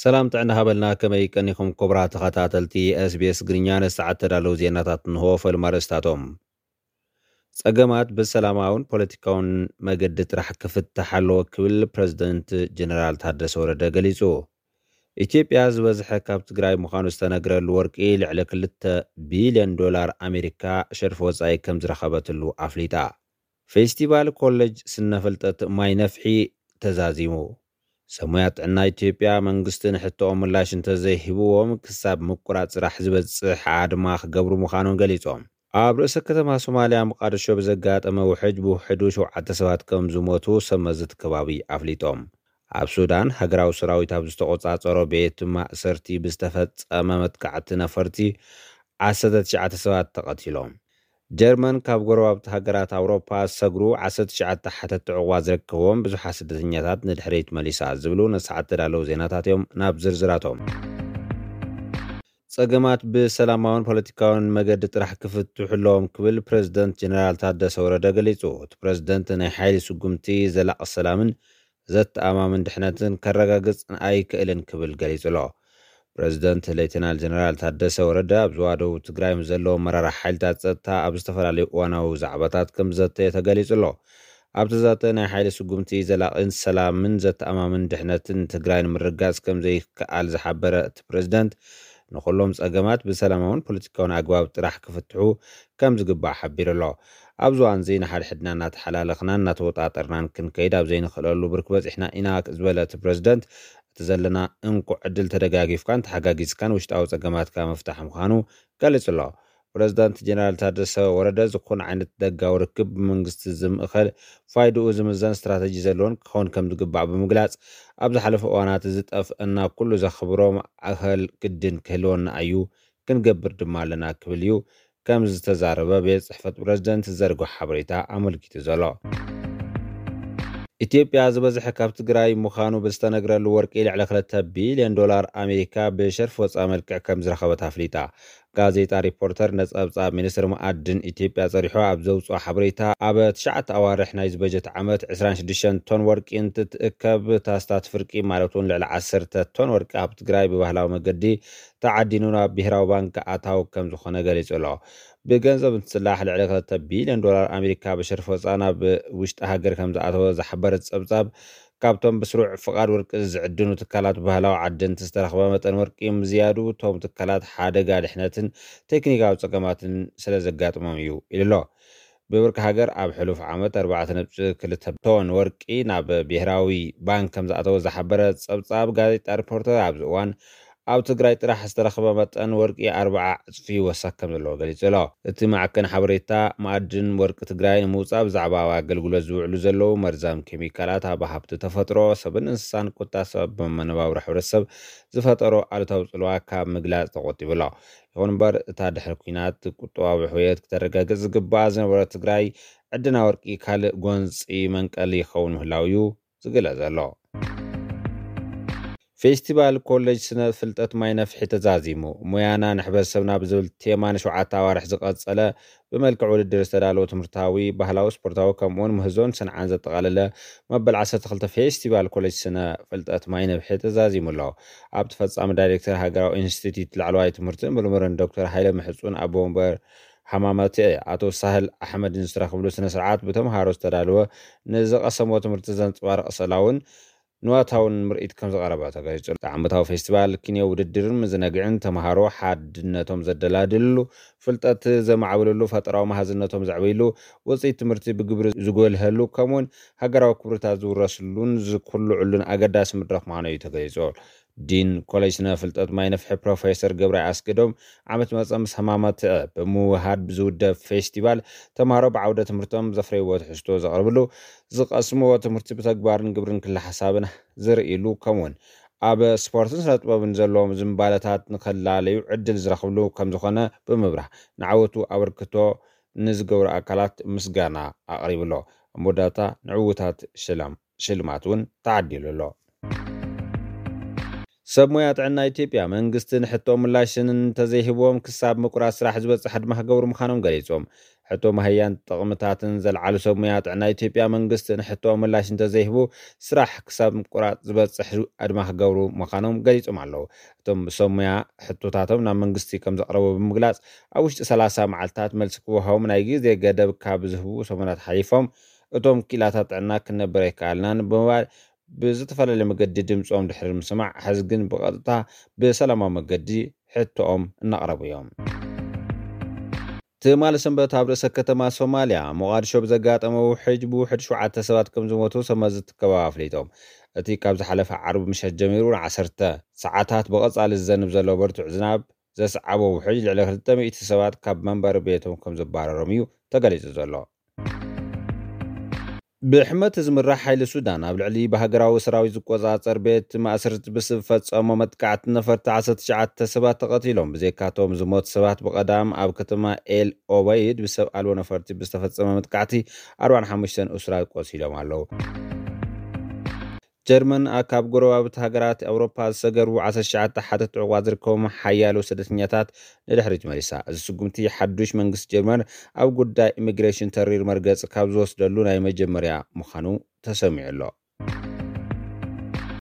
ሰላም ጥዕና ሃበልና፣ ከመይ ቀኒኹም ክቡራት ተኸታተልቲ SBS ግርኛ? ንሰዓት ተዳለዉ ዜናታት እንሆ። ፈልማ ርእስታቶም። ጸገማት ብሰላማውን ፖለቲካውን መገዲ ጥራሕ ክፍታሕ ኣለዎ ክብል ፕረዚደንት ጀነራል ታደሰ ወረደ ገሊጹ። ኢትዮጵያ ዝበዝሐ ካብ ትግራይ ምዃኑ ዝተነግረሉ ወርቂ ልዕሊ ክልተ ቢልዮን ዶላር ኣሜሪካ ሸርፊ ወጻኢ ከም ዝረኸበትሉ ኣፍሊጣ። ፌስቲቫል ኮሌጅ ስነ ፍልጠት ማይ ነፍሒ ተዛዚሙ። ሰሙያ ጥዕና ኢትዮጵያ መንግስቲ ንሕቶኦም ምላሽ እንተዘይሂብዎም ክሳብ ምቁራጽ ስራሕ ዝበጽሕ ኣድማ ክገብሩ ምዃኖም ገሊጾም። ኣብ ርእሰ ከተማ ሶማልያ መቃደሾ ብዘጋጠመ ውሕጅ ብውሕዱ ሸውዓተ ሰባት ከም ዝሞቱ ሰብ መዚ እቲ ከባቢ ኣፍሊጦም። ኣብ ሱዳን ሃገራዊ ሰራዊት ኣብ ዝተቆጻጸሮ ቤት ማእሰርቲ ብዝተፈጸመ መጥቃዕቲ ነፈርቲ ዓሰርተ ትሽዓተ ሰባት ተቐቲሎም። ጀርመን ካብ ጎረባብቲ ሃገራት ኣውሮፓ ዝሰግሩ ዓሰርተ ትሽዓተ ሓተትቲ ዕቑባ ዝርከብዎም ብዙሓት ስደተኛታት ንድሕሪት መሊሳ ዝብሉ ንሰዓት ተዳለዉ ዜናታት እዮም። ናብ ዝርዝራቶም። ጸገማት ብሰላማውን ፖለቲካውን መገዲ ጥራሕ ክፍትሑ ኣለዎም ክብል ፕረዚደንት ጀነራል ታደሰ ወረደ ገሊጹ። እቲ ፕረዚደንት ናይ ሓይሊ ስጉምቲ ዘላቒ ሰላምን ዘተኣማምን ድሕነትን ከረጋግጽ ኣይክእልን ክብል ገሊጹ ኣሎ። ፕረዚደንት ሌተናል ጀነራል ታደሰ ወረደ ኣብ ዞባ ደቡብ ትግራይ ምስ ዘለዉ ኣመራርሓ ሓይልታት ጸጥታ ኣብ ዝተፈላለዩ እዋናዊ ዛዕባታት ከም ዘተየ ተገሊጹ ኣሎ። ኣብቲ ዘተ ናይ ሓይሊ ስጉምቲ ዘላቒን ሰላምን ዘተኣማምን ድሕነትን ትግራይ ንምርጋጽ ከም ዘይከኣል ዝሓበረ እቲ ፕረዚደንት፣ ንኹሎም ጸገማት ብሰላማውን ፖለቲካውን ኣግባብ ጥራሕ ክፍትሑ ከም ዝግባእ ሓቢሩ ኣሎ። ኣብዚ እዋን እዚ ንሓድሕድና እናተሓላለኽናን እናተወጣጠርናን ክንከይድ ኣብ ዘይንኽእለሉ ብርኪ በጺሕና ኢና ዝበለ እቲ ፕረዚደንት፣ እቲ ዘለና እንኮ ዕድል ተደጋጊፍካን ተሓጋጊዝካን ውሽጣዊ ጸገማትካ ምፍታሕ ምዃኑ ገሊጹ ኣሎ። ፕረዚዳንት ጀነራል ታደሰ ወረደ፣ ዝኾነ ዓይነት ደጋዊ ርክብ ብመንግስቲ ዝምእኸል ፋይድኡ ዝምዘን ስትራተጂ ዘለዎን ክኸውን ከም ዝግባእ ብምግላጽ፣ ኣብ ዝሓለፈ እዋናት ዝጠፍአና ኩሉ ዘኽብሮ ማእኸል ግድን ክህልወና እዩ፣ ክንገብር ድማ ኣለና ክብል እዩ ከም ዝተዛረበ ቤት ጽሕፈት ፕረዚደንት ዝዘርግሖ ሓበሬታ ኣመልኪቱ ዘሎ። ኢትዮጵያ ዝበዝሐ ካብ ትግራይ ምዃኑ ብዝተነግረሉ ወርቂ ልዕሊ ክልተ ቢልዮን ዶላር ኣሜሪካ ብሸርፊ ወፃኢ መልክዕ ከም ዝረኸበት ኣፍሊጣ። ጋዜጣ ሪፖርተር ነፀብፃብ ሚኒስትሪ መኣድን ኢትዮጵያ ፀሪሖ ኣብ ዘውፅኦ ሓበሬታ፣ ኣብ ትሽዓተ ኣዋርሕ ናይዚ በጀት ዓመት ዕስራን ሽዱሽተን ቶን ወርቂ እንትትእከብ፣ ታስታት ፍርቂ ማለት እውን ልዕሊ ዓሰርተ ቶን ወርቂ ኣብ ትግራይ ብባህላዊ መገዲ ተዓዲኑ ናብ ብሄራዊ ባንክ ኣታዊ ከም ዝኾነ ገሊፁ ኣሎ። ብገንዘብ እንትስላሕ ልዕሊ ክልተ ቢልዮን ዶላር ኣሜሪካ ብሸርፊ ወፃ ናብ ውሽጢ ሃገር ከም ዝኣተወ ዝሓበረ ጸብጻብ፣ ካብቶም ብስሩዕ ፍቓድ ወርቂ ዝዕድኑ ትካላት ባህላዊ ዓደንቲ ዝተረኽበ መጠን ወርቂ ምዝያዱ፣ እቶም ትካላት ሓደጋ ድሕነትን ቴክኒካዊ ጸገማትን ስለ ዘጋጥሞም እዩ ኢሉ ኣሎ። ብብርኪ ሃገር ኣብ ሕሉፍ ዓመት ኣርባዕተ ነጥቢ ክልተ ቶን ወርቂ ናብ ብሄራዊ ባንክ ከም ዝኣተወ ዝሓበረ ጸብጻብ ጋዜጣ ሪፖርተር፣ ኣብዚ እዋን ኣብ ትግራይ ጥራሕ ዝተረኽበ መጠን ወርቂ ኣርብዓ ዕጽፊ ይወሰኽ ከም ዘለዎ ገሊጹ ኣሎ። እቲ ማዕከን ሓበሬታ መኣድን ወርቂ ትግራይ ንምውጻእ ብዛዕባ ኣብ ኣገልግሎት ዝውዕሉ ዘለዉ መርዛም ኬሚካላት ኣብ ሃብቲ ተፈጥሮ፣ ሰብን እንስሳን፣ ቁጠባ፣ ሰብ መነባብሮ ሕብረተሰብ ዝፈጠሮ ኣሉታዊ ጽልዋ ካብ ምግላጽ ተቆጢቡ ኣሎ። ይኹን እምበር፣ እታ ድሕሪ ኲናት ቁጠባዊ ሕውየት ክተረጋግጽ ዝግባኣ ዝነበረ ትግራይ፣ ዕድና ወርቂ ካልእ ጎንጺ መንቀሊ ይኸውን ምህላው እዩ ዝግለጽ ዘሎ። ፌስቲቫል ኮሌጅ ስነ ፍልጠት ማይ ነፍሒ ተዛዚሙ። ሞያና ንሕብረተሰብና ብዝብል ቴማ ንሸውዓተ ኣዋርሕ ዝቐጸለ ብመልክዕ ውድድር ዝተዳለወ ትምህርታዊ፣ ባህላዊ፣ ስፖርታዊ ከምኡውን ምህዞን ሰንዓን ዘጠቓለለ መበል ዓሰርተ ክልተ ፌስቲቫል ኮሌጅ ስነ ፍልጠት ማይ ነፍሒ ተዛዚሙ ኣሎ። ኣብቲ ፈጻሚ ዳይሬክተር ሃገራዊ ኢንስቲትዩት ላዕለዋይ ትምህርትን ምርምርን ዶክተር ሃይለ ምሕጹን ኣቦ ወንበር ሃማመተ ኣቶ ሳህል ኣሕመድን ዝተረኽብሉ ስነ ስርዓት ብተምሃሮ ዝተዳለወ ንዝቐሰምዎ ትምህርቲ ዘንጸባርቕ ስእላውን ንዋታውን ምርኢት ከም ዝቐረበ ተገሊጹ። ዓመታዊ ፌስቲቫል ኪንዮ ውድድርን ምዝነግዕን ተምሃሮ ሓድነቶም ዘደላድልሉ፣ ፍልጠት ዘማዕብልሉ፣ ፈጠራዊ መሃዝነቶም ዘዕብይሉ፣ ውፅኢት ትምህርቲ ብግብሪ ዝጎልሀሉ፣ ከምኡውን ሃገራዊ ክብርታት ዝውረስሉን ዝኩልዕሉን ኣገዳሲ መድረኽ ምዃኑ እዩ ተገሊጹ። ዲን ኮሌጅ ስነ ፍልጠት ማይ ነፍሒ ፕሮፌሰር ገብረ ኣስገዶም፣ ዓመት መጸ ምስ ሃማመተ ብምውሃድ ብዝውደብ ፌስቲቫል፣ ተምሃሮ ብዓውደ ትምህርቶም ዘፍረይዎ ትሕዝቶ ዘቕርብሉ፣ ዝቐስምዎ ትምህርቲ ብተግባርን ግብርን ክለ ሓሳብን ዝርእይሉ፣ ከምኡውን ኣብ ስፖርትን ስነ ጥበብን ዘለዎም ዝንባለታት ንኸላለዩ ዕድል ዝረኽብሉ ከም ዝኾነ ብምብራህ፣ ንዓወቱ ኣበርክቶ ንዝገብሩ ኣካላት ምስጋና ኣቕሪቡ ኣሎ። ኣብ መወዳእታ ንዕዉታት ሽላም ሽልማት እውን ተዓዲሉ ኣሎ። ሰብ ሞያ ጥዕና ኢትዮጵያ መንግስቲ ንሕቶ ምላሽን እንተዘይህቦም ክሳብ ምቁራፅ ስራሕ ዝበፅሕ ኣድማ ክገብሩ ምዃኖም ገሊፆም። ሕቶ ማህያን ጥቕምታትን ዘልዓሉ ሰብ ሞያ ጥዕና ኢትዮጵያ መንግስቲ ንሕቶ ምላሽ እንተዘይህቡ ስራሕ ክሳብ ምቁራፅ ዝበፅሕ ኣድማ ክገብሩ ምዃኖም ገሊፆም ኣለዉ። እቶም ሰብ ሞያ ሕቶታቶም ናብ መንግስቲ ከም ዘቕረቡ ብምግላፅ ኣብ ውሽጢ ሰላሳ መዓልታት መልሲ ክወሃቦም ናይ ግዜ ገደብ ካብ ዝህቡ ሰሙናት ሓሊፎም እቶም ክኢላታት ጥዕና ክንነብር ኣይከኣልናን ብምባል ብዝተፈላለየ መገዲ ድምፆም ድሕሪ ምስማዕ ሕዚ ግን ብቐጥታ ብሰላማዊ መገዲ ሕቶኦም እናቕረቡ እዮም። ትማሊ ሰንበት ኣብ ርእሰ ከተማ ሶማልያ ሞቓድሾ ብዘጋጠመ ውሕጅ ብውሕድ ሸውዓተ ሰባት ከም ዝሞቱ ሰመዝቲ ከባቢ ኣፍሊጦም። እቲ ካብ ዝሓለፈ ዓርቢ ምሸት ጀሚሩ ንዓሰርተ ሰዓታት ብቐጻሊ ዝዘንብ ዘሎ ብርቱዕ ዝናብ ዘስዓቦ ውሕጅ ልዕሊ ክልተ ሚእቲ ሰባት ካብ መንበሪ ቤቶም ከም ዘባረሮም እዩ ተገሊጹ ዘሎ። ብሕመት ዝምራሕ ሓይሊ ሱዳን ኣብ ልዕሊ ብሃገራዊ ሰራዊት ዝቆጻጸር ቤት ማእስርቲ ብዝፈጸሞ መጥቃዕቲ ነፈርቲ ዓሰርተ ትሽዓተ ሰባት ተቐቲሎም። ብዘይካቶም ዝሞት ሰባት ብቐዳም ኣብ ከተማ ኤል ኦበይድ ብሰብ ኣልቦ ነፈርቲ ብዝተፈጸመ መጥቃዕቲ ኣርባዓን ሓሙሽተን እሱራት ቆሲሎም ኣለዉ። ጀርመን ኣብ ካብ ጎረባብቲ ሃገራት ኣውሮፓ ዝሰገሩ ዓሰርተ ትሽዓተ ሓተት ዕቑባ ዝርከቦም ሓያሎ ስደተኛታት ንድሕሪት መሊሳ። እዚ ስጉምቲ ሓዱሽ መንግስቲ ጀርመን ኣብ ጉዳይ ኢሚግሬሽን ተሪር መርገፂ ካብ ዝወስደሉ ናይ መጀመርያ ምዃኑ ተሰሚዑ ኣሎ።